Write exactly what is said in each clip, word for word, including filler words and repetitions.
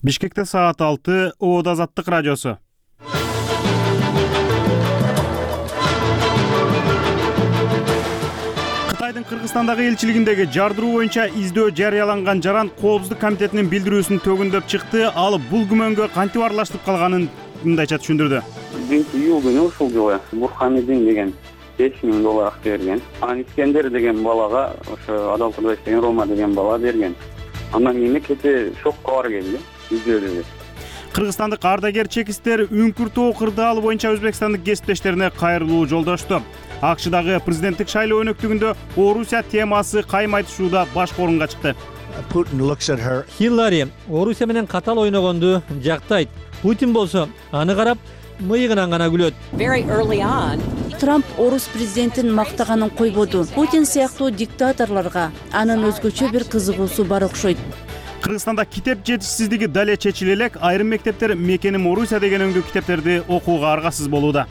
Бишкекте саат алты, Оод Азаттык радиосу. Кытайдын Кыргызстандагы элчилигиндеги жардыруу боюнча издөө жарыяланган жаран Коопсуздук комитетинин билдирүүсүн төгүндөп чыкты. Ал бул күмөнгө кантип аралаштырып калганын мындайча түшүндүрдү. биринчи июль күнү ушул жылы Бурхамидин деген беш миң доллар акча берген. Анан Искендер деген балага ошо Адалкырда иштеген Рома деген бала берген. Андан кийин кете шок кабар келди. Кыргызстандык ардагер чекистер Үңкүр-Тоо кырдаалы боюнча өзбекстандык кесиптештерине кайрылуу жолдошту. АКШдагы президенттик шайлоо өнөктүгүндө Орусия темасы кайым айтышууда башкы орунга чыкты. Хиллари Орусия менен катал ойногонду жактайт. Путин болсо аны карап мыйыгынан гана күлөт. Трамп орус президентин мактаганын койбоду. Путин сыяктуу диктаторлорго анын өзгөчө бир кызыгуусу бар окшойт. Кыргызстанда китеп жетишсиздиги дале чечиле элек, айрым мектептер мекеним Орусия деген өңдүү китептерди окууга аргасыз болууда.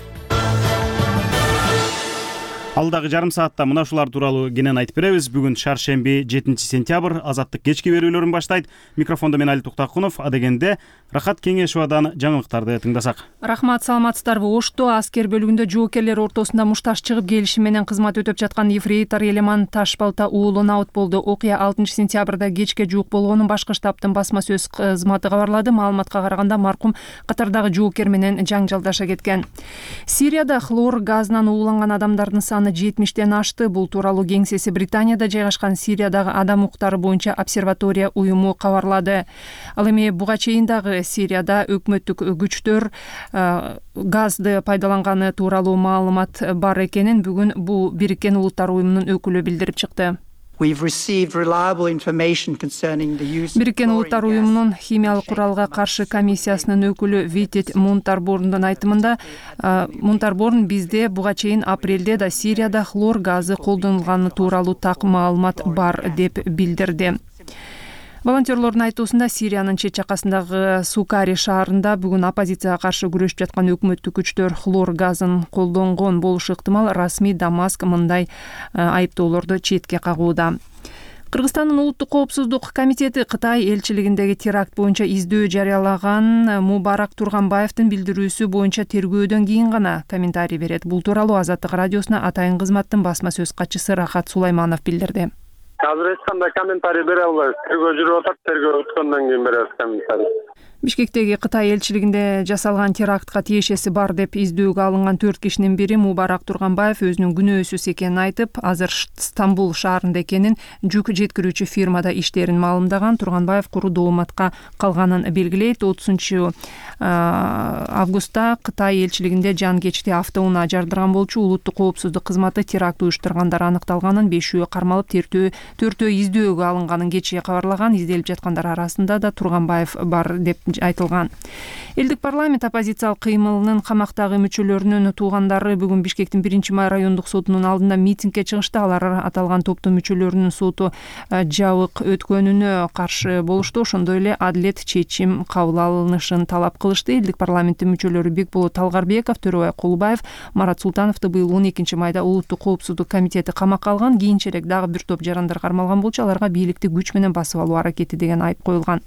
Алдагы жарым саатта мына ушулар тууралуу кенен айтып беребиз. Бүгүн шаршемби жетинчи сентябрь, Азаттык кечки берүүлөрүн баштайт. Микрофондо мен Али Туктакунов, адегенде Рахат Кеңешовадан жаңылыктарды тыңдасак. Рахмат, саламатсыздарбы? Ошто аскер бөлүгүндө жоокерлер ортосунда мушташ чыгып келишим менен кызмат өтөп жаткан ефрейтор Элеман Ташбалта уулу наут болду. Окуя алтынчы сентябрда кечке жуук болгонун башкы штабтын басма сөз кызматы кабарлады. Маалыматка караганда маркум катардагы жоокер менен жаңжалдаша кеткен. Сирияда хлор газынан ууланган адамдардын саны жетимиштен ашты. Бул тууралуу кеңсеси Британияда жайгашкан Сириядагы адам укуктары боюнча обсерватория уюму кабарлады. Ал эми буга чейин дагы Сирияда өкмөттүк күчтөр газды пайдаланганы тууралуу маалымат бар экенин бүгүн бул Бириккен Улуттар уюмунун өкүлү билдирип чыкты. Бириккен Улуттар уюмунун химиялык куралга каршы комиссиясынын өкүлү Витет Мунтарборндун айтымында, Мунтарборн бизде буга чейин апрелде да Сирияда хлор газы колдонулганы тууралуу так маалымат бар деп билдирди. Волонтерлордун айтуусунда Сириянын чет жакасындагы Сукари шаарында бүгүн оппозицияга каршы күрөшүп жаткан өкмөттүк күчтөр хлор газын колдонгон болушу ыктымал. Расмий Дамаск мындай айыптоолорду четке кагууда. Кыргызстандын улуттук коопсуздук комитети Кытай элчилигиндеги теракт боюнча издөө жарыялаган Мубарак Турганбаевдин билдирүүсү боюнча тергөөдөн кийин гана комментарий берет. Бул тууралуу Азаттык радиосуна атайын кызматтын басма сөз катчысы Рахат Сулайманов билдирди. Азыр эч кандай комментарий бере албайбыз. Тергөө жүрүп атат, тергөө бүткөндөн кийин беребиз комментарий. Бишкектеги Кытай элчилигинде жасалган терактка тиешеси бар деп издөөгө алынган төрт кишинин бири Мубарак Турганбаев өзүнүн күнөөсүз экенин айтып, азыр Стамбул шаарында экенин, жүк жеткирүүчү фирмада иштерин маалымдаган. Турганбаев куру дооматка калганын белгилейт. отузунчу августта Кытай элчилигинде жан кечти автоунаа жардырган болчу. Улуттук коопсуздук кызматы теракт уюштургандар аныкталганын, бешөө кармалып, төртөө издөөгө алынганын кечээ кабарлаган. Изделип жаткандар арасында да Турганбаев бар деп айтылган. Элдик парламент оппозициялык кыймылынын камактагы мүчөлөрүнүн туугандары бүгүн Бишкектин биринчи май райондук сотунун алдында митингге чыгышты. Алар аталган топтун мүчөлөрүнүн соту жабык өткөнүнө каршы болушту. Ошондой эле адилет чечим кабыл алынышын талап кылышты. Элдик парламенттин мүчөлөрү Бекболот Талгарбеков, Төрөбай Кулубаев, Марат Султановду быйыл он экинчи майда улуттук коопсуздук комитети камакка алган. Кийинчерээк дагы бир топ жарандар кармалган болчу. Аларга бийликти күч менен басып алуу аракети деген айып коюлган.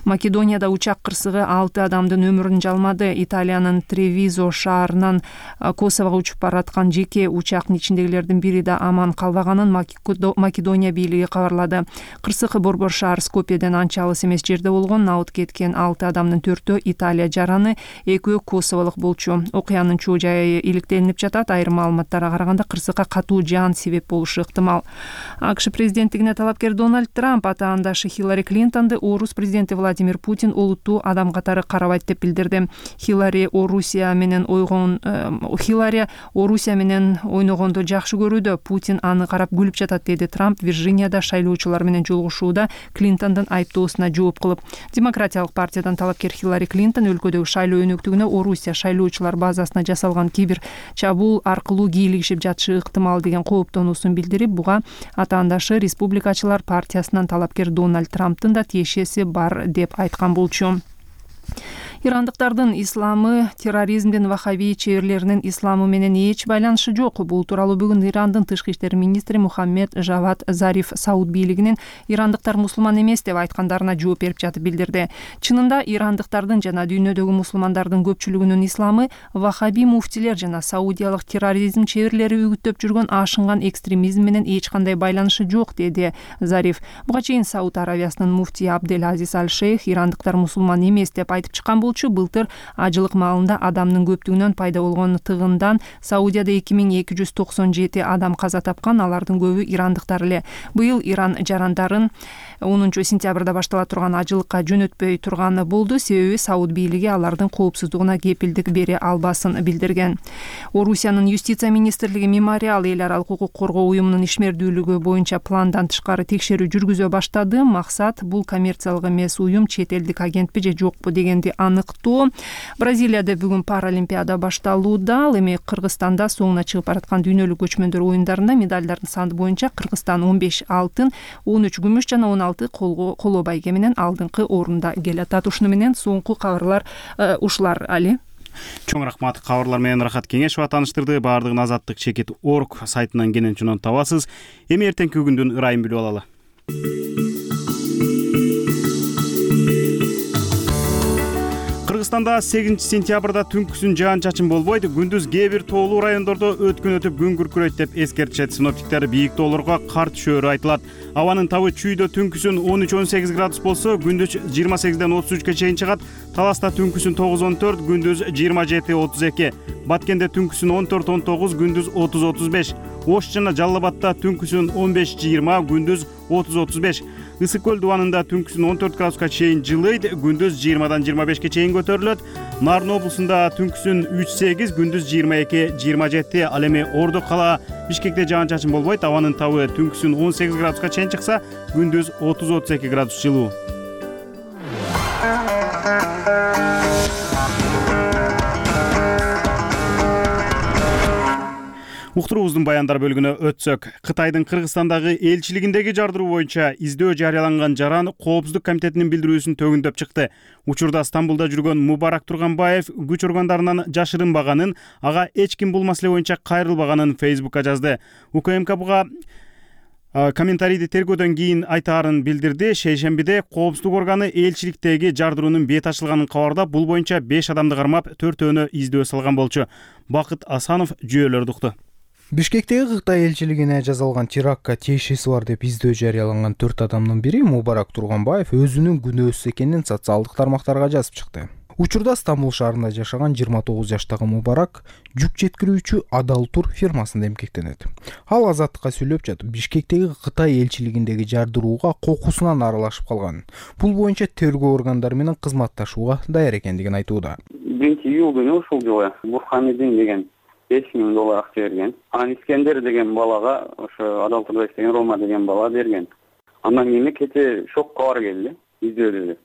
Македонияда учак кырсыгы алты адамдын өмүрүн жалмады. Италиянын Тревизо шаарынан Косового учуп бараткан жеке учактын ичиндегилердин бири да аман калбаганын Македония бийлиги кабарлады. Кырсык Борбор шаар Скопьеден анча алыс эмес жерде болгон. Наут кеткен алты адамдын төртөө Италия жараны, экөө Косоволук болчу. Окуянын чоо жайы иликтелинип жатат. Айрым маалыматтарга караганда кырсыкка катуу жаан себеп болушу ыктымал. АКШ президенттигине талапкер Дональд Трамп атаандашы Хиллари Клинтонду орус президенти Владимир Путин олуттуу адам катары карабайт деп билдирди. Хиллари Орусия менен ойгон Хиллари Орусия менен ойногонду жакшы көрүүдө, Путин аны карап күлүп жатат, деди Трамп Вирджинияда шайлоочулар менен жолугушууда Клинтондун айыптоосуна жооп кылып. Демократиялык партиядан талапкер Хиллари Клинтон өлкөдөгү шайлоо өнөктүгүнө Орусия шайлоочулар базасына жасалган кибер чабуул аркылуу кийлигишип жатышы ыктымал деген кооптонуусун билдирип, буга атаандашы Республикачылар партиясынан талапкер Дональд Трамптын да тиешеси бар деп айткан болчу. Ирандыктардын исламы терроризмдин ваххаби чеберлеринин исламы менен эч байланышы жок. Бул тууралуу бүгүн Ирандын тышкы иштер министри Мухаммед Жавад Зариф Сауд бийлигинин ирандыктар мусулман эмес деп айткандарына жооп берип жатып билдирди. Чынында ирандыктардын жана дүйнөдөгү мусулмандардын көпчүлүгүнүн исламы ваххаби муфтилер жана саудиялык терроризм чеберлери үгүттөп жүргөн ашынган экстремизм менен эч кандай байланышы жок, деди Зариф. Буга чейин Сауд Аравиясынын муфтии Абдель Азиз Аль-Шейх ирандыктар мусулман эмес деп айтып чыккан болчу. Былтыр ажылык маалында адамдын көптүгүнөн пайда болгон тыгындан Саудияда эки миң эки жүз токсон жети адам каза тапкан, алардын көбү ирандыктар эле. Быйыл Иран жарандарын онунчу сентябрда баштала турган ажылыкка жөнөтпөй турганы болду, себеби Сауд бийлиги алардын коопсуздугуна кепилдик бере албасын билдирген. Орусиянын юстиция министрлиги Мемориал эл аралык укук коргоо уюмунун ишмердүүлүгү боюнча пландан тышкары текшерүү жүргүзө баштады. Максат бул коммерциялык эмес уюм чет элдик агентпи же жокпу дегенди аныктоо. Бразилияда бүгүн Паралимпиада башталууда. Ал эми Кыргызстанда соңуна чыгып бараткан дүйнөлүк көчмөндөр оюндарында медалдардын саны боюнча Кыргызстан он беш алтын, он үч күмүш жана он алты коло байге менен алдыңкы орунда келатат. Ушуну менен соңку кабарлар ушулар. Али. Чоң рахмат. Кабарлар менен Рахат Кеңешова тааныштырды. Баардыгын азаттык чекит орг сайтынан кенен чунун табасыз. Эми эртеңки күндүн ырайын билип алалы. Кыргызстанда сегизинчи сентябрда түнкүсүн жаан-чачын болбойт, күндүз кээ бир тоолуу райондордо өткөн өтүп күн күркүрөйт деп эскертишет. Синоптиктер бийик тоолорго кар түшөөрү айтылат. Абанын табы чүйдө түнкүсүн он үч он сегиз градус болсо, күндүз жыйырма сегизден отуз үчкө чейин чыгат. Таласта түнкүсүн тогуз он төрт, күндүз жыйырма жети отуз эки. Баткенде түнкүсүн он төрт он тогуз, күндүз отуз отуз беш. Ош жана Жалал Абадта түнкүсүн он беш жыйырма, күндүз отуз отуз беш. Ысык көл дубанында түнкүсүн он төрт градуска чейин жылыйт, күндүз жыйырмадан жыйырма бешке чейин көтөрүлөт. Нарын облусунда түнкүсүн үч сегиз, күндүз жыйырма эки жыйырма жети. Ал эми Ордо кала Бишкекте жаан-чачын болбойт. Абанын табы түнкүсүн он сегиз градуска чейин чыкса, күндүз отуз отуз эки градус жылуу. Уктуруубуздун баяндар бөлүгүнө өтсөк, Кытайдын Кыргызстандагы элчилигиндеги жардыруу боюнча издөө жарыяланган жаран Коопсуздук комитетинин билдирүүсүн төгүндөп чыкты. Учурда Стамбулда жүргөн Мубарак Турганбаев күч органдарынан жашырынбаганын, ага эч ким бул маселе боюнча кайрылбаганын Фейсбукка жазды. УКМК буга комментарийди тергөөдөн кийин айтаарын билдирди. Шейшембиде Коопсуздук органы элчиликтеги жардыруунун бет ачылганын кабардап, бул боюнча беш адамды кармап, төртөөнү издөө салган болчу. Бакыт Асанов жүйөлөрдү укту. Бишкектеги Кытай элчилигине жасалган терактка тиешеси бар деп издөө жарыяланган төрт адамдын бири Мубарак Турганбаев өзүнүн күнөөсүз экенин социалдык тармактарга жазып чыкты. Учурда Стамбул шаарында жашаган жыйырма тогуз жаштагы Мубарак жүк жеткирүүчү Адалтур фирмасында эмгектенет. Ал Азаттыкка сүйлөп жатып, Бишкектеги Кытай элчилигиндеги жардырууга кокусунан аралашып калган. Бул боюнча тергөө органдары менен кызматташууга даяр экендигин айтууда. биринчи июль күнү ушул жылы Бурхамидин деген беш миң доллар акча берген. Ан Искендер деген балага ошо Адалтур деген Рома деген бала берген. Андан кийин кете шок кабар келди. Издөөдө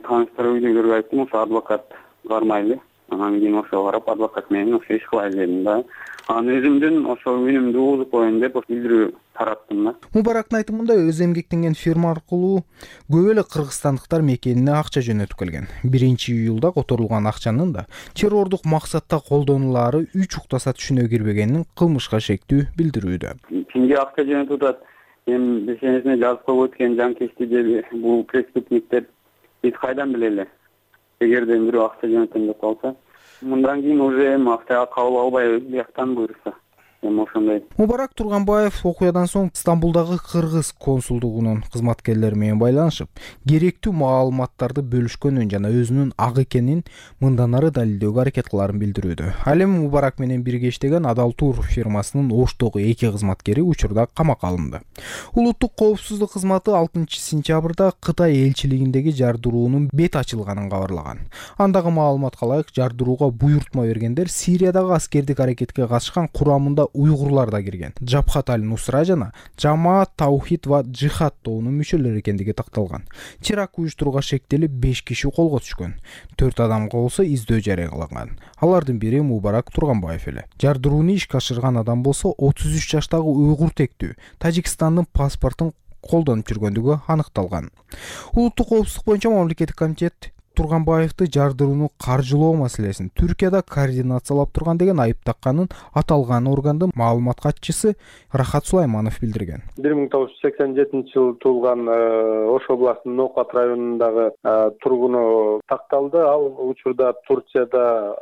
тааныштар үйлөргө айттым, ошо адвокат бармайлы. Анан кийин ошо карап адвокат менен ошо иш кылайлы дедим да. Анан өзүмдүн ошо үнүмдү угузуп коеюн деп билдирүү тараттым да. Мубарактын айтымында өз эмгектенген фирма аркылуу көп эле кыргызстандыктар мекенине акча жөнөтүп келген. биринчи июлда которулган акчанын да террордук максатта колдонулаары үч уктаса түшүнө кирбегенин кылмышка шектүү билдирүүдө. Кимге акча жөнөтүп атат? Эми бешенесине жазып коюп өткөн жанкечти деп бул преступниктер биз кайдан билели? Эгерде бирөө акча жөнөтөм деп калса, мындан кийин уже эми акчага кабыл албай өз бияктан буйрса. Эми ошондой. Мубарак Турганбаев окуядан соң Стамбулдагы кыргыз консулдугунун кызматкерлери менен байланышып, керектүү маалыматтарды бөлүшкөнүн жана өзүнүн ак экенин мындан ары далилдөөгө аракет кылаарын билдирүүдө. Ал эми Мубарак менен бирге иштеген Адалтур фирмасынын Оштогу эки кызматкери учурда камакка алынды. Улуттук коопсуздук кызматы алтынчы сентябрда Кытай элчилигиндеги жардыруунун бет ачылганын кабарлаган. Андагы маалыматка ылайык, жардырууга буйртма бергендер Сириядагы аскердик аракетке катышкан курамында уйгурлар да кирген. Жабхат аль-Нусра жана Жамаат Таухид ва Джихад тобунун мүчөлөрү экендиги такталган. Теракт уюштурууга шектелип беш киши колго түшкөн. төрт адамга болсо издөө жарыяланган. Алардын бири Мубарак Турганбаев эле. Жардырууну ишке ашырган адам болсо отуз үч жаштагы уйгур тектүү Тажикстандын паспортун колдонуп жүргөндүгү аныкталган. Улуттук коопсуздук боюнча мамлекеттик комитет Турганбаевди жардырууну каржылоо маселесин Түркияда координациялап турган деген айып такканын аталган органдын маалымат катчысы Рахат Сулайманов билдирген. бир миң тогуз жүз сексен жетинчи жылы туулган Ош областынын Ноокат районундагы тургуну такталды. Ал учурда Турцияда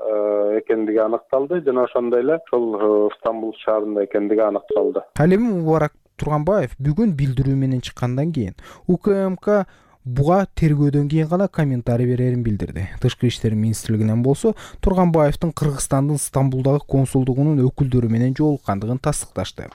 экендиги аныкталды жана ошондой эле ошол Стамбул шаарында экендиги аныкталды. Ал эми Мубарак Турганбаев бүгүн билдирүү менен чыккандан кийин УКМК буга тергөөдөн кийин гана комментарий берерин билдирди. Тышкы иштер министрлигинен болсо Турганбаевдин Кыргызстандын Стамбулдагы консулдугунун өкүлдөрү менен жолуккандыгын тастыкташты.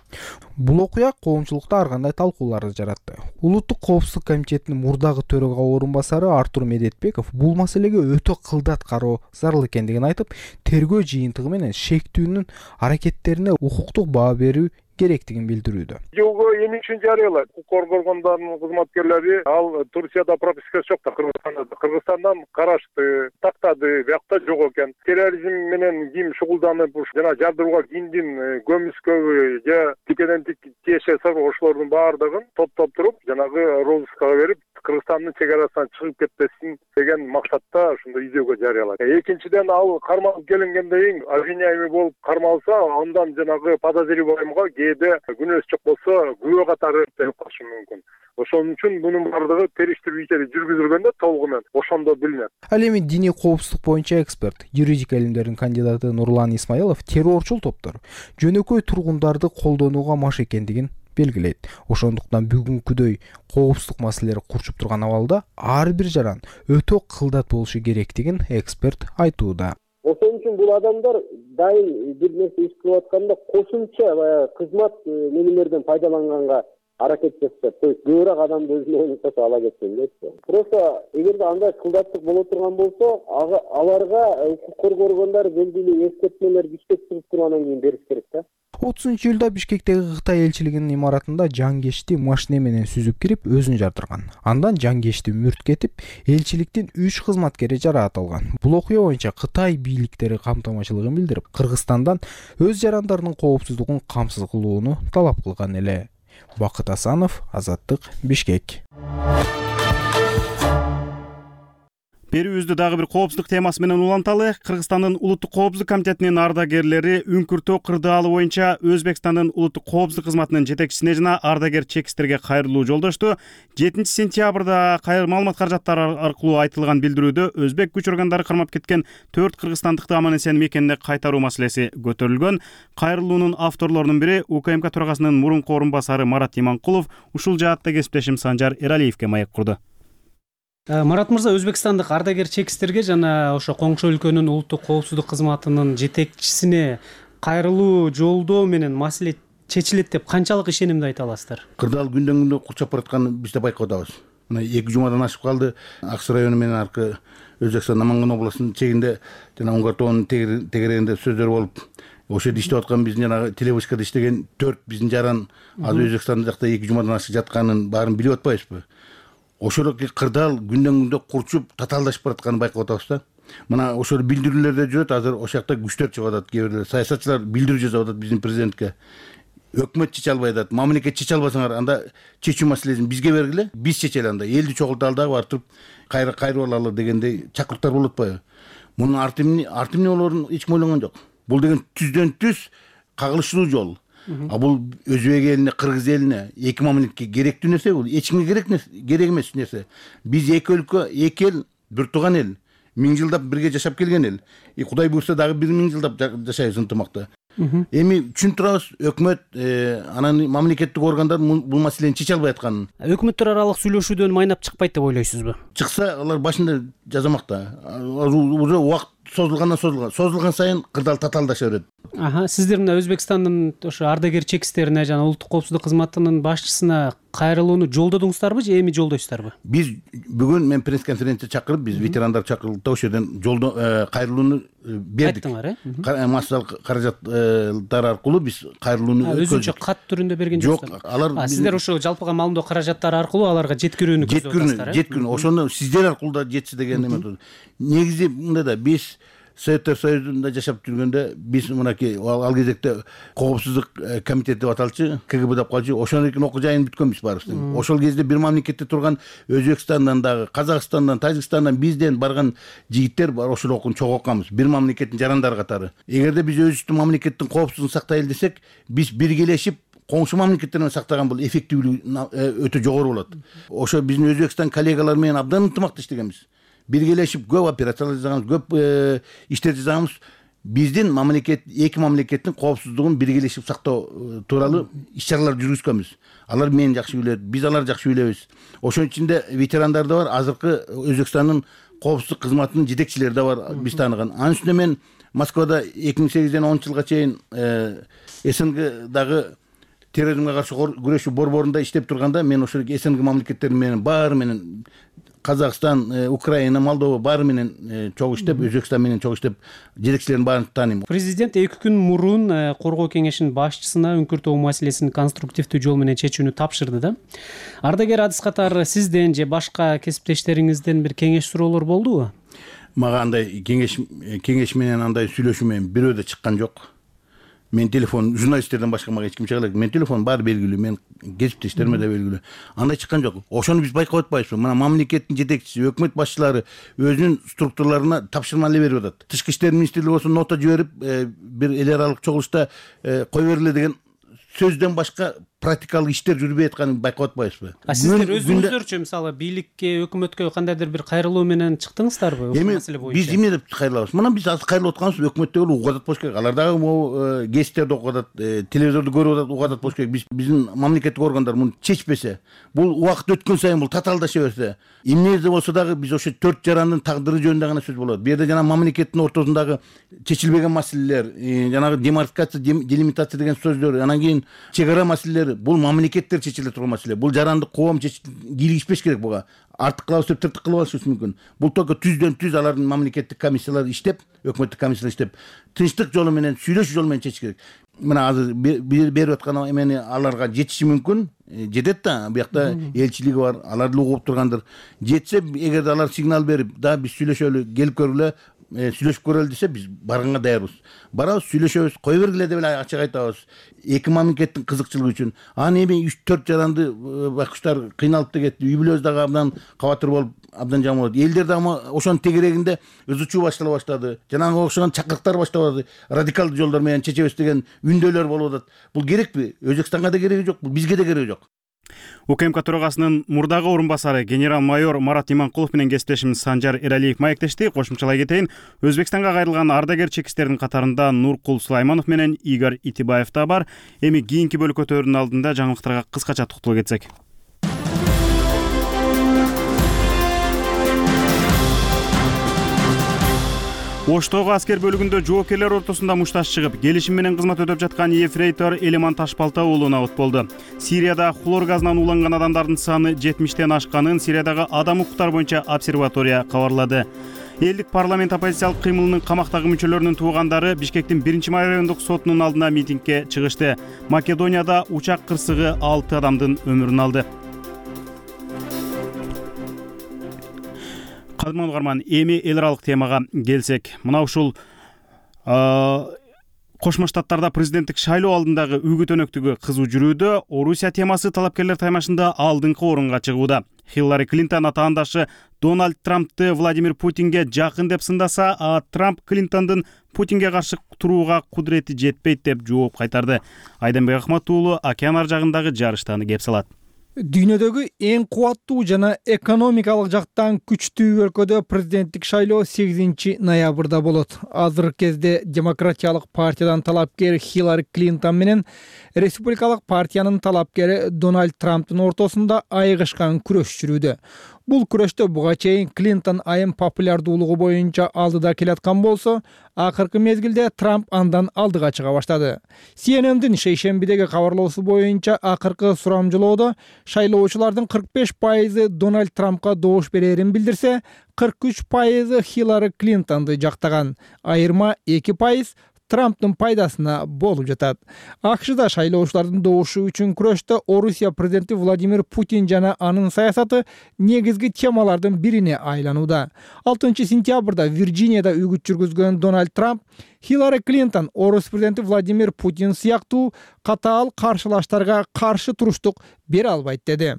Бул окуя коомчулукта ар кандай талкууларды жаратты. Улуттук коопсуздук комитетинин мурдагы төрага орун басары Артур Медетбеков бул маселеге өтө кылдат кароо зарыл экендигин айтып, тергөө жыйынтыгы менен шектүүнүн аракеттерине укуктук баа берүү керектигин билдирүүдө. Жолго эми үчүн жарыялайт. Укук органдарынын кызматкерлери ал Турцияда пропискасы жок да, Кыргызстанда. Кыргызстандан карашты, тактады, биякта жок экен. Терроризм менен ким шугулданып, жана жардырууга кимдин көмүскөбү же тикеден тик тиешеси ошолордун баардыгын топтоп туруп, жанагы розыскага берип, Кыргызстандын чек арасынан чыгып кетпесин деген максатта ушундай издөөгө жарыялайт. Экинчиден, ал кармалып келингенден кийин обвиняемый болуп кармалса, андан жанагы подозреваемыйга кээде күнөөсү жок болсо күбө катары берип калышы мүмкүн. Ошон үчүн мунун баардыгы териштирүү иштери жүргүзүлгөндө толугу менен ошондо билинет. Ал эми диний коопсуздук боюнча эксперт, юридика илимдеринин кандидаты Нурлан Исмаилов террорчул топтор жөнөкөй тургундарды колдонууга маш экендигин белгилейт. Ошондуктан бүгүнкүдөй коопсуздук маселелери курчуп турган абалда ар бир жаран өтө кылдат болушу керектигин эксперт айтууда. Ошон үчүн бул адамдар дайым бир нерсе иш кылып атканда кошумча баягы кызмат нелерден пайдаланганга аракет жасашат. То есть көбүрөөк адамды өзүнө кошо ала кеткен дейчи. Просто эгерде андай кылдаттык боло турган болсо, аларга укук коргоо органдары белгилүү эскертмелер Бишкек чыгып тургандан кийин бериш керек да. отузунчу июлда Бишкектеги Кытай элчилигинин имаратында жангечти машина менен сүзүп кирип өзүн жардырган. Андан жангечти мүрт кетип, элчиликтин үч кызматкери жараат алган. Бул окуя боюнча Кытай бийликтери камтамачылыгын билдирип, Кыргызстандан өз жарандарынын коопсуздугун камсыз кылууну талап кылган эле. Бакыт Асанов, Азаттык, Бишкек. Берүүбүздү дагы бир коопсуздук темасы менен уланталы. Кыргызстандын улуттук коопсуздук комитетинин ардагерлери үңкүртөө кырдаалы боюнча Өзбекстандын улуттук коопсуздук кызматынын жетекчисине жана ардагер чекистерге кайрылуу жолдошту. жетинчи сентябрда маалымат каражаттары аркылуу айтылган билдирүүдө өзбек күч органдары кармап кеткен төрт кыргызстандыкты аман эсен мекенине кайтаруу маселеси көтөрүлгөн. Кайрылуунун авторлорунун бири УКМК төрагасынын мурунку орун басары Марат Иманкулов. Ушул жаатта кесиптешим Санжар Эралиевге маек курду. Марат мырза, Өзбекстандык ардагер чекистерге жана ошо коңшу өлкөнүн улуттук коопсуздук кызматынын жетекчисине кайрылуу жолдоо менен маселе чечилет деп канчалык ишенимди айта аласыздар? Кырдаал күндөн күндө курчап баратканын биз да байкап атабыз. Мына эки жумадан ашып калды. Акс району менен аркы Өзбекстан Наманган областынын чегинде жана Уңгартоонун тегерегинде сөздөр болуп, ошол жерде иштеп аткан биздин жана телевышкада иштеген төрт биздин жаран азыр Өзбекстан жакта эки жумадан ашык жатканын баарын билип атпайбызбы? Ошол кырдаал күндөн күндө курчуп татаалдашып баратканын байкап атабыз да. Мына ошол билдирүүлөрдө жүрөт, азыр ошол жакта күчтөр чыгып атат, кээ бирлер саясатчылар билдирүү жасап атат биздин президентке. Өкмөт чече албай атат, мамлекет чече албасаңар, анда чечүү маселесин бизге бергиле, биз чечели анда. Элди чогулталы дагы барып туруп кайра кайрып алалы дегендей чакырыктар болуп атпайбы? Мунун арты эмне, арты эмне болоорун эч ким ойлонгон жок. Бул деген түздөн түз кагылышуу жол. А бул Өзбек элине, Кыргыз элине, эки мамлекетке керектүү нерсе, бул эч кимге керек керек эмес нерсе. Биз эки өлкө, эки эл, бир тууган эл, миң жылдап бирге жашап келген эл. И Кудай буйрса дагы бир миң жылдап жашайбыз ынтымакта. Эми түшүнүп турабыз, өкмөт, анан мамлекеттик органдар бул маселени чече албай атканын. Өкмөттөр аралык сүйлөшүүдөн майнап чыкпайт деп ойлойсузбу? Чыкса, алар башында жазамак да. Уже убакыт созулгандан созулган, созулган сайын кырдаал татаалдаша берет. Аха, сиздер мына Өзбекстандын ошо ардагер чекистерине жана улуттук коопсуздук кызматынын башчысына кайрылууну жолдодуңуздарбы же эми жолдойсуздарбы? Биз бүгүн мен пресс-конференция чакырып, биз ветерандар чакырылды да ошол жерден жолдо кайрылууну бердик. Айттыңар, э? Массалык каражаттар аркылуу биз кайрылууну өткөздүк. Өзүнчө кат түрүндө берген жоксуздар? Жок, алар сиздер ошо жалпыга маалымдоо каражаттары аркылуу аларга жеткирүүнү көздөп атасыздар, э? Жеткирүүнү, ошону сиздер аркылуу да жетси деген эме. Негизи мындай да, биз Советтер Союзунда жашап жүргөндө биз мынакей ал кезекте коопсуздук комитети деп аталчу, ка гэ бэ деп калчу, ошонун окуу жайын бүткөнбүз баарыбыз. Ошол кезде бир мамлекетте турган Өзбекстандан дагы, Казакстандан, Тажикстандан бизден барган жигиттер бар, ошол окууну чогуу окуганбыз. Бир мамлекеттин жарандары катары. Эгерде биз өзүбүздүн мамлекеттин коопсуздугун сактайлы десек, биз биргелешип коңшу мамлекеттер менен сактаган бул эффективдүүлүгү өтө жогору болот. Ошо биздин Өзбекстан коллегалар менен абдан ынтымакта иштегенбиз. Биргелешип көп операциялар жасаганбыз, көп иштер жасаганбыз. Биздин мамлекет, эки мамлекеттин коопсуздугун биргелешип сактоо тууралуу иш-чаралар жүргүзгөнбүз. Алар мени жакшы билет, биз аларды жакшы билебиз. Ошонун ичинде ветерандар да бар, азыркы Өзбекстандын коопсуздук кызматынын жетекчилери да бар, биз тааныган. Анын үстүнө мен Москвада эки миң сегизден онунчу жылга чейин эс эн гдагы терроризмге каршы күрөшүү борборунда иштеп турганда, мен ошол эс эн гэ мамлекеттери менен баары менен Казакстан, Украина, Молдова баары менен чогуу иштеп, Өзбекстан менен чогуу иштеп, жетекчилерин баарын тааныйм. Президент эки күн мурун коргоо кеңешинин башчысына үңкүртөө маселесин конструктивдүү жол менен чечүүнү тапшырды да. Ардагер адыс катары сизден же башка кесиптештериңизден бир кеңеш суроолор болдубу? Мага андай кеңеш кеңеш менен андай сүйлөшүү менен бирөө да чыккан жок. Мен телефон журналисттерден башка мага эч ким чыга элек. Мен телефон баары белгилүү, мен кесиптештериме да белгилүү. Андай чыккан жок. Ошону биз байкап атпайбызбы? Мына мамлекеттин жетекчиси, өкмөт башчылары өзүнүн структураларына тапшырма эле берип атат. Тышкы иштер министрлиги болсо нота жиберип, бир эл аралык чогулушта кой бергиле деген сөздөн башка практикалык иштер жүрбөй атканын байкап атпайбызбы? А сиздер өзүңүздөрчү мисалы бийликке, өкмөткө кандайдыр бир кайрылуу менен чыктыңыздарбы ушул маселе боюнча? Биз эмне деп кайрылабыз? Мына биз азыр кайрылып атканбыз, өкмөт дегенде угуп атат болуш керек. Алар дагы могу гезиттерди окуп атат, телевизорду көрүп атат, угуп атат болуш керек. Биз биздин мамлекеттик органдар муну чечпесе, бул убакыт өткөн сайын бул татаалдаша берсе, эмнеде болсо дагы биз ошо төрт жарандын тагдыры жөнүндө гана сөз болот. Бу жерде жана мамлекеттин ортосундагы чечилбеген маселелер, жанагы демаркация, делимитация деген сөздөр, анан кийин чек ара маселелери, бул мамлекеттер чечиле турган маселе. Бул жарандык коом кийлигишпеш керек буга. Артык кылабыз деп тыртык кылып алышы мүмкүн. Бул только түздөн түз алардын мамлекеттик комиссиялары иштеп, өкмөттүк комиссиялар иштеп, тынчтык жолу менен, сүйлөшүү жолу менен чечиш керек. Мына азыр берип аткан эмени аларга жетиши мүмкүн, жетет да, буякта элчилиги бар, алар деле угуп тургандыр. Жетсе, эгерде алар сигнал берип, да биз сүйлөшөлү, келип көргүлө, сүйлөшүп көрөлү десе, биз барганга даярбыз. Барабыз, сүйлөшөбүз, кой бергиле деп эле ачык айтабыз. Эки мамлекеттин кызыкчылыгы үчүн. Анан эми үч төрт жаранды байкуштар кыйналып да кетти. Үй бүлөбүз дагы абдан кабатыр болуп, абдан жаман болду. Элдер дагы ошонун тегерегинде ызычуу баштала баштады. Жанагы окшогон чакырыктар башталды. Радикалдуу жолдор менен чечебиз деген үндөлөр болуп атат. Бул керекпи? Өзбекстанга да кереги жок, бизге да кереги жок. УКМК төрагасынын мурдагы орун басары генерал-майор Марат Иманкулов менен кесиптешим Санжар Эралиев маектешти. Кошумчалай кетейин. Өзбекстанга кайрылган ардагер чекистердин катарында Нуркул Сулайманов менен Игорь Итибаев да бар. Эми кийинки бөлүкөтөрдүн алдында жаңылыктарга кыскача токтоло кетсек. Оштогу аскер бөлүгүндө жоокерлер ортосунда мушташ чыгып, келишим менен кызмат өтөп жаткан ефрейтор Элеман Ташбалта уулуна от болду. Сирияда хлор газынан ууланган адамдардын саны жетимиштен ашканын Сириядагы адам укуктары боюнча обсерватория кабарлады. Элдик парламент оппозициялык кыймылынын камактагы мүчөлөрүнүн туугандары Бишкектин биринчи райондук сотунун алдына митингге чыгышты. Македонияда учак кырсыгы алты адамдын өмүрүн алды. Кадырман угарман, эми эл аралык темага келсек, мына ушул Кошмо Штаттарда президенттик шайлоо алдындагы үгүт өнөктүгү кызуу жүрүүдө. Орусия темасы талапкерлер таймашында алдыңкы орунга чыгууда. Хиллари Клинтон атаандашы Дональд Трампты Владимир Путинге жакын деп сындаса, а Трамп Клинтондун Путинге каршы турууга кудурети жетпейт деп жооп кайтарды. Айданбек Ахмат уулу океан ар жагындагы жарыштаны кеп салат. Дүйнөдөгү эң кубаттуу жана экономикалык жактан күчтүү өлкөдө президенттик шайлоо сегизинчи ноябрда болот. Азыркы кезде демократиялык партиядан талапкер Хиллари Клинтон менен республикалык партиянын талапкери Дональд Трамптын ортосунда айыгышкан күрөш жүрүүдө. Бул күрөштө буга чейин Клинтон айым популярдуулугу боюнча алдыда келаткан болсо, акыркы мезгилде Трамп андан алдыга чыга баштады. Си Эн Эн'дин шейшембидеги кабарлоосу боюнча акыркы сурамжылоодо шайлоочулардын кырк беш пайызы Дональд Трампка добуш берерин билдирсе, кырк үч пайызы Хиллари Клинтонду жактаган, айырма эки пайыз Трамптын пайдасына болуп жатат. АКШда шайлоочулардын добушу үчүн күрөштө Орусия президенти Владимир Путин жана анын саясаты негизги темалардын бирине айланууда. алтынчы сентябрда Вирджинияда үгүт жүргүзгөн Дональд Трамп Хиллари Клинтон Орус президенти Владимир Путин сыяктуу катаал каршылаштарга каршы туруштук бере албайт деди.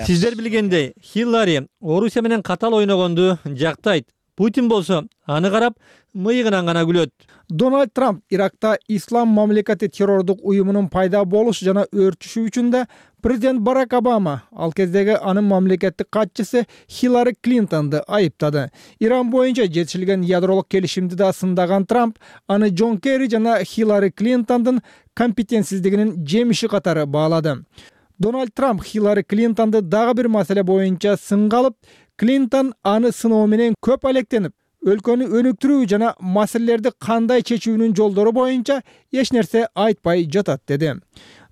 Сиздер билгендей, Хиллари Орусия менен катаал ойногонду жактайт. Путин болсо аны карап мыйыгынан гана күлөт. Дональд Трамп Иракта ислам мамлекети террордук уюмунун пайда болушу жана өрчүшү үчүн да президент Барак Обама ал кездеги анын мамлекеттик катчысы Хиллари Клинтонду айыптады. Иран боюнча жетишилген ядролук келишимди да сындаган Трамп аны Джон Керри жана Хиллари Клинтондун компетентсиздигинин жемиши катары баалады. Дональд Трамп Хиллари Клинтонду дагы бир маселе боюнча сынга алып, Клинтон аны сыноо менен көп алектенип, өлкөнү өнүктүрүү жана маселелерди кандай чечүүнүн жолдору боюнча эч нерсе айтпай жатат деди.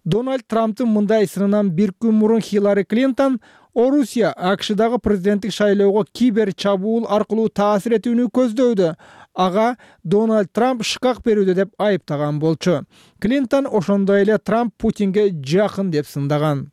Дональд Трамптын мындай сынынан бир күн мурун Хиллари Клинтон Орусия АКШдагы президенттик шайлоого кибер чабуул аркылуу таасир этүүнү көздөйдү. Ага Дональд Трамп шыкак берүүдө деп айыптаган болчу. Клинтон ошондой эле Трамп Путинге жакын деп сындаган.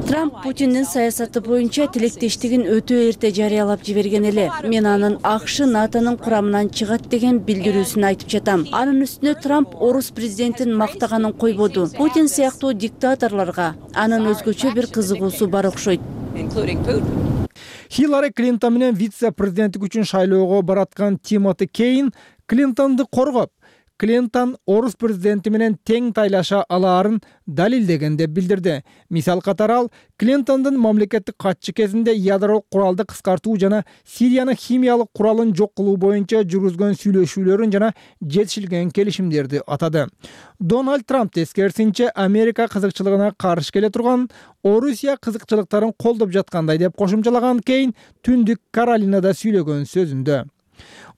Трамп Путиндин саясаты боюнча тилектештигин өтө эрте жарыялап жиберген эле. Мен анын АКШ НАТОнун курамынан чыгат деген билдирүүсүн айтып жатам. Анын үстүнө Трамп Орус президентин мактаганын койбоду. Путин сыяктуу диктаторлорго анын өзгөчө бир кызыгуусу бар окшойт. Хиллари Клинтон менен вице-президенттик үчүн шайлоого бараткан Тимоти Кейн Клинтонду коргоп, Клинтон Орус президенти менен тең тайлаша алаарын далилдеген деп билдирди. Мисал катары ал Клинтондун мамлекеттик катчы кезинде ядролук куралды кыскартуу жана Сириянын химиялык куралын жок кылуу боюнча жүргүзгөн сүйлөшүүлөрүн жана жетишилген келишимдерди атады. Дональд Трамп тескерисинче Америка кызыкчылыгына каршы келе турган Орусия кызыкчылыктарын колдоп жаткандай деп кошумчалаган Кейн Түндүк Каролинада сүйлөгөн сөзүндө.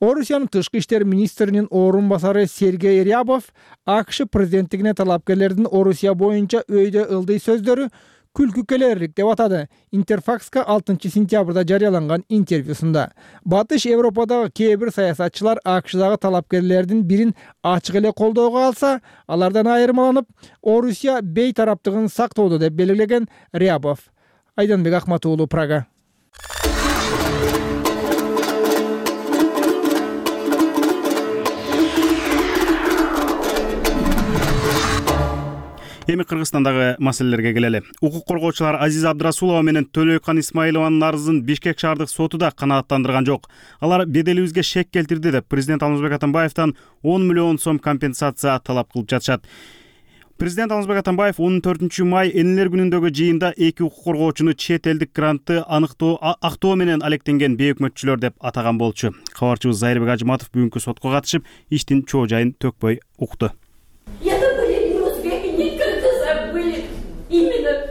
Орусиянын тышкы иштер министринин орун басары Сергей Рябов АКШ президенттигине талапкерлердин Орусия боюнча өйдө ылдый сөздөрү күлкү келерлик деп атады. Интерфакска алтынчы сентябрда жарыяланган интервьюсунда. Батыш Европадагы кээ бир саясатчылар АКШдагы талапкерлердин бирин ачык эле колдоого алса, алардан айырмаланып, Орусия бейтараптыгын сактоодо деп белгилеген Рябов. Айданбек Акмат уулу, Прага. Эми Кыргызстандагы маселелерге келели. Укук коргоочулар Азиза Абдрасулова менен Төлөйкан Исмаилованын арызын Бишкек шаардык соту да канааттандырган жок. Алар беделибизге шек келтирди деп президент Алмазбек Атамбаевден он миллион сом компенсация талап кылып жатышат. Президент Алмазбек Атамбаев он төртүнчү май энелер күнүндөгү жыйында эки укук коргоочуну чет элдик грантты аныктоо актоо менен алектенген бейөкмөтчүлөр деп атаган болчу. Кабарчыбыз Зайырбек Ажыматов бүгүнкү сотко катышып, иштин чоо жайын төкпөй укту.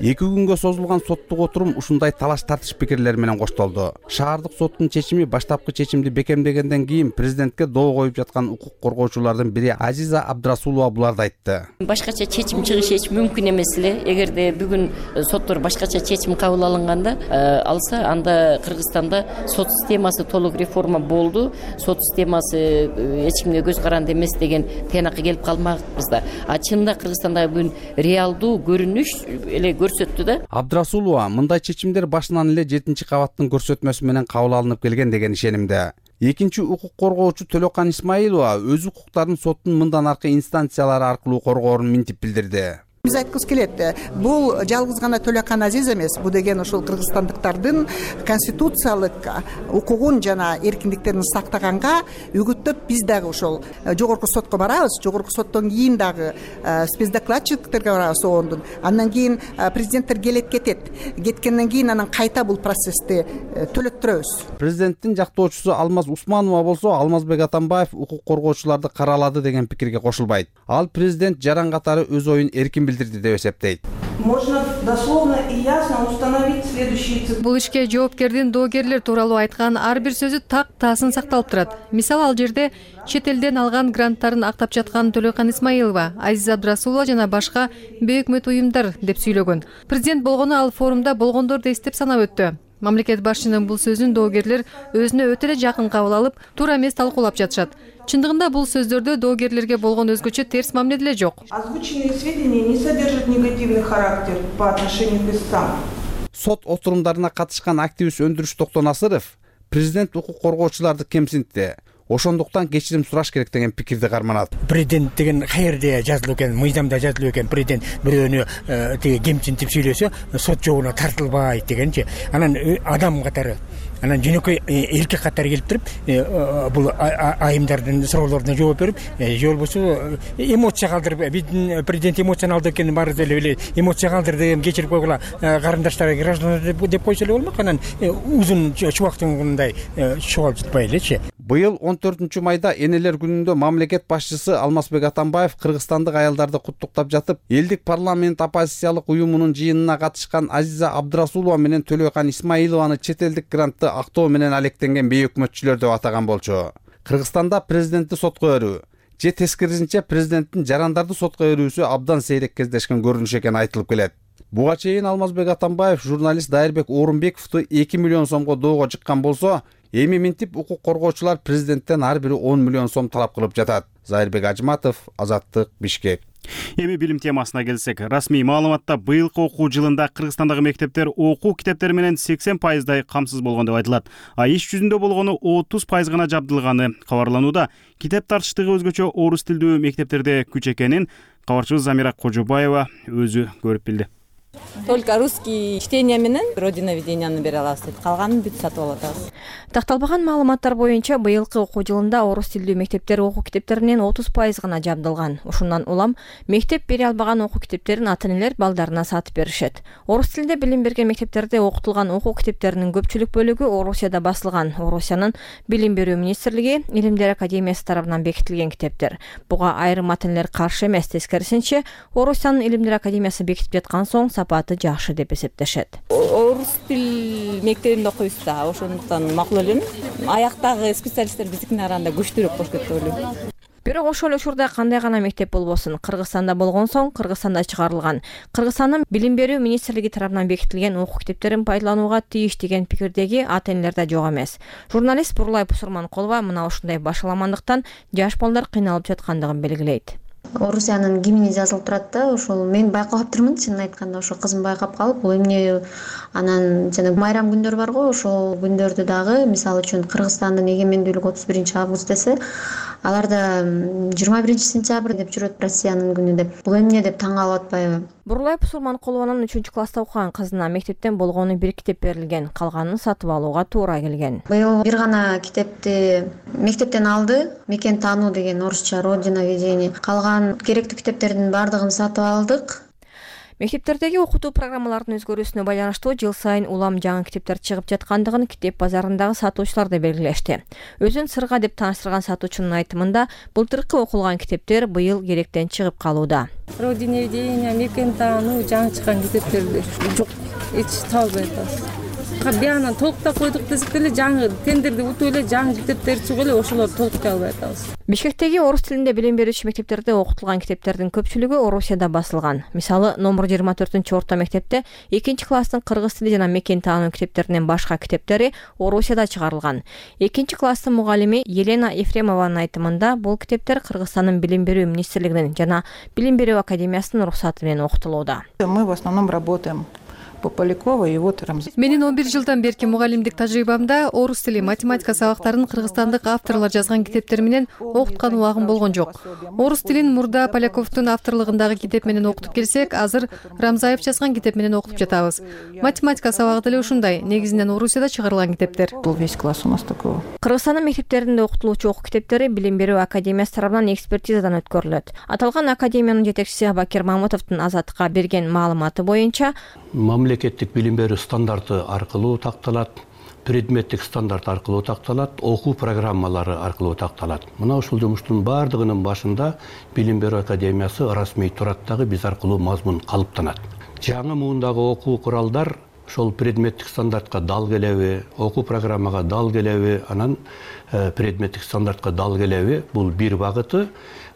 Эки күнгө созулган соттук отурум ушундай талаш тартыш пикирлер менен коштолду. Шаардык соттун чечими баштапкы чечимди бекемдегенден кийин президентке доо коюп жаткан укук коргоочулардын бири Азиза Абдрасулова буларды айтты. Башкача чечим чыгышы эч мүмкүн эмес эле. Эгерде бүгүн соттор башкача чечим кабыл алынганда алса, анда Кыргызстанда сот системасы толук реформа болду. Сот системасы эч кимге көз каранды эмес деген тыянакка келип калмакпыз да. А чынында Кыргызстанда бүгүн реалдуу көрүнүш эле көрсөттү да. Абдрасулова мындай чечимдер башынан эле жетинчи кабаттын көрсөтмөсү менен кабыл алынып келген деген ишенимде. Экинчи укук коргоочу Төлөкан Исмаилова өз укуктарын соттун мындан аркы инстанциялары аркылуу коргоорун минтип билдирди. Биз айткыбыз келет, бул жалгыз гана Төлөкан Азиз эмес, бул деген ушул кыргызстандыктардын конституциялык укугун жана эркиндиктерин сактаганга үгүттөп биз дагы ошол жогорку сотко барабыз. Жогорку соттон кийин дагы спецдокладчиктерге барабыз оондун. Андан кийин президенттер келет кетет. Кеткенден кийин анан кайта бул процессти төлөттүрөбүз. Президенттин жактоочусу Алмаз Усманова болсо Алмазбек Атамбаев укук коргоочуларды каралады деген пикирге кошулбайт. Ал президент жаран катары өз оюн эркин билдирди деп эсептейт. Можно дословно и ясно установить следующие цифры. Бул ишке жоопкердин доогерлер тууралуу айткан ар бир сөзү так таасын сакталып турат. Мисалы, ал жерде чет элден алган гранттарын актап жаткан Төлөкан Исмаилова, Азиза Абдрасулова жана башка бейөкмөт уюмдар деп сүйлөгөн. Президент болгону ал форумда болгондорду эстеп санап өттү. Мамлекет башчынын бул сөзүн доогерлер өзүнө өтө эле жакын кабыл алып, туура эмес талкуулап жатышат. Чындыгында бул сөздөрдө доогерлерге болгон өзгөчө терс мамиле деле жок. Озвученные сведения не содержат негативный характер по отношению к истцам. Сот отурумдарына катышкан активист Өндүрүш Токтонасыров президент укук коргоочуларды кемсинтти. Ошондуктан кечирим сураш керек деген пикирди карманат. Президент деген каерде жазылып экен, мыйзамда жазылып экен, президент бирөөнү тиги кемсинтип сөйлөсө, сот жобуна тартылбайт дегенчи. Анан адам катары, анан жөнөкөй эркек катары келип туруп, бул айымдардын суроолоруна жооп берип, же болбосо эмоция калтырып, биздин президент эмоционалдуу экенин баары эле билет, эмоция калтыр деген кечирип койгула, карындаштар, граждандар деп койсо эле болмок. Анан узун чубактыгындай чогулуп жатпай элечи. Быйыл он төртүнчү майда Энелер күнүндө мамлекет башчысы Алмазбек Атамбаев кыргызстандык аялдарды куттуктап жатып, элдик парламент оппозициялык уюмунун жыйынына катышкан Азиза Абдрасулова менен Төлөкан Исмаилованы чет элдик грантты актоо менен алектенген бейөкмөтчүлөр деп атаган болчу. Кыргызстанда президентти сотко берүү же тескерисинче президенттин жарандарды сотко берүүсү абдан сейрек кездешкен көрүнүш экени айтылып келет. Буга чейин Алмазбек Атамбаев журналист Дайырбек Орунбековду эки миллион сомго доого жыккан болсо, эми минтип укук коргоочулар президенттен ар бири он миллион сом талап кылып жатат. Зайырбек Ажматов, Азаттык, Бишкек. Эми билим темасына келсек, расмий маалыматта быйылкы окуу жылында Кыргызстандагы мектептер окуу китептери менен сексен пайыздай камсыз болгон деп айтылат. А иш жүзүндө болгону отуз пайыз гана жабдылганы кабарланууда. Китеп тартыштыгы өзгөчө орус тилдүү мектептерде күч экенин кабарчыбыз Замира Кожобаева өзү көрүп билди. Только русский чтение менен родиноведенияны бере алабыз дейт. Калганын бүт сатып алып атабыз. Такталбаган маалыматтар боюнча быйылкы окуу жылында орус тилдүү мектептер окуу китептеринен отуз пайыз гана жабдылган. Ушундан улам мектеп бере албаган окуу китептерин ата-энелер балдарына сатып беришет. Орус тилинде билим берген мектептерде окутулган окуу китептеринин көпчүлүк бөлүгү Орусияда басылган. Орусиянын билим берүү министрлиги Илимдер академиясы тарабынан бекитилген китептер. Буга айрым ата-энелер каршы эмес, тескерисинче Орусиянын Илимдер академиясы бекитип жаткан соң сапаты жакшы деп эсептешет. Орус тил мектебинде окуйбуз да, ошондуктан макул элем. Аяктагы специалисттер биздикине караганда күчтүүрөөк болуш керек деп ойлойм. Бирок ошол эле учурда кандай гана мектеп болбосун, Кыргызстанда болгон соң Кыргызстанда чыгарылган. Кыргызстандын билим берүү министрлиги тарабынан бекитилген окуу китептерин пайдаланууга тийиш деген пикирдеги ата-энелер да жок эмес. Журналист Бурлай Пусурманкулова мына ушундай башаламандыктан жаш балдар кыйналып жаткандыгын белгилейт. Орусиянын гимни жазылып турат да, ошол мен байкап аптырмын, чынын айтканда, ошо кызым байкап калып, бул эмне анан жана майрам күндөр бар го, ошол күндөрдү дагы, мисалы үчүн Кыргызстандын эгемендүүлүгү отуз биринчи август десе, аларда жыйырма биринчи сентябрь деп жүрөт, Россиянын күнү деп. Бул эмне деп таң калып атпайбы? Бурлай Пусурманкулованын үчүнчү класста окуган кызына мектептен болгону бир китеп берилген, калганын сатып алууга туура келген. Быйыл бир гана китепти мектептен алды, мекен таануу деген орусча родиноведение. Калган керектүү китептердин баардыгын сатып алдык. Мектептердеги окутуу программаларынын өзгөрүүсүнө байланыштуу жыл сайын улам жаңы китептер чыгып жаткандыгын китеп базарындагы сатуучулар да белгилешти. Өзүн сырга деп тааныштырган сатуучунун айтымында, былтыркы окулган китептер быйыл керектен чыгып калууда. Родиноведение, мекен таануу жаңы чыккан китептерди жок, эч табылбай атабыз. Биянан толуктап койдук десек деле жаңы тендерди утуп эле жаңы китептер чыгып эле ошолорду толуктай албай атабыз. Бишкектеги орус тилинде билим берүүчү мектептерде окутулган китептердин көпчүлүгү Орусияда басылган. Мисалы, номер жыйырма төртүнчү орто мектепте экинчи класстын кыргыз тили жана мекен таануу китептеринен башка китептери Орусияда чыгарылган. экинчи класстын мугалими Елена Ефремованын айтымында, бул китептер Кыргызстандын билим берүү министрлигинин жана билим берүү академиясынын уруксаты менен окутулууда. Мы в основном работаем по Полякова и вот Рамзан. Менин он бир жылдан берки мугалимдик тажрыйбамда орус тили, математика сабактарын кыргызстандык авторлор жазган китептер менен окуткан убагым болгон жок. Орус тилин мурда Поляковдун авторлугундагы китеп менен окутуп келсек, азыр Рамзаев жазган китеп менен окутуп жатабыз. Математика сабагы деле ушундай, негизинен Орусияда чыгарылган китептер. Был весь класс у нас такого. Кыргызстандын мектептеринде окутулуучу окуу китептери билим берүү академиясы тарабынан экспертизадан өткөрүлөт. Аталган академиянын жетекчиси Бакир Мамутовдун Азаттыкка берген маалыматы боюнча, мамлекеттик билим берүү стандарты аркылуу такталат, предметтик стандарт аркылуу такталат, окуу программалары аркылуу такталат. Мына ушул жумуштун баардыгынын башында билим берүү академиясы расмий турат дагы биз аркылуу мазмун калыптанат. Жаңы муундагы окуу куралдар ошол предметтик стандартка дал келеби, окуу программага дал келеби, анан предметтик стандартка дал келеби, бул бир багыты.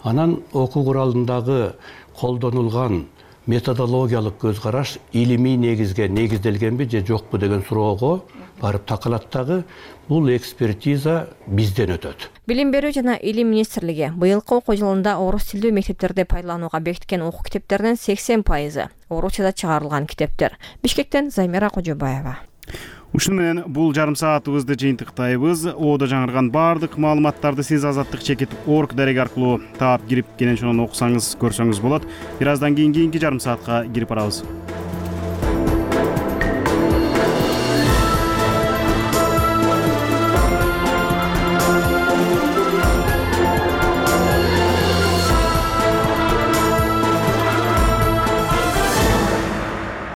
Анан окуу куралындагы колдонулган методологиялык көз караш илимий негизге негизделгенби же жокпу деген суроого барып такалат дагы бул экспертиза бизден өтөт. Билим берүү жана илим министрлиги быйылкы окуу жылында орус тилдүү мектептерде пайдаланууга бекиткен окуу китептеринин сексен пайызы орусчада чыгарылган китептер. Бишкектен Замира Кожобаева. Ушуну менен бул жарым саатыбызды жыйынтыктайбыз. Оодо жаңырган баардык маалыматтарды сиз азаттык чекит орг дареги аркылуу таап кирип кенен ошону окусаңыз, көрсөңүз болот. Бир аздан кийин кийинки жарым саатка кирип барабыз.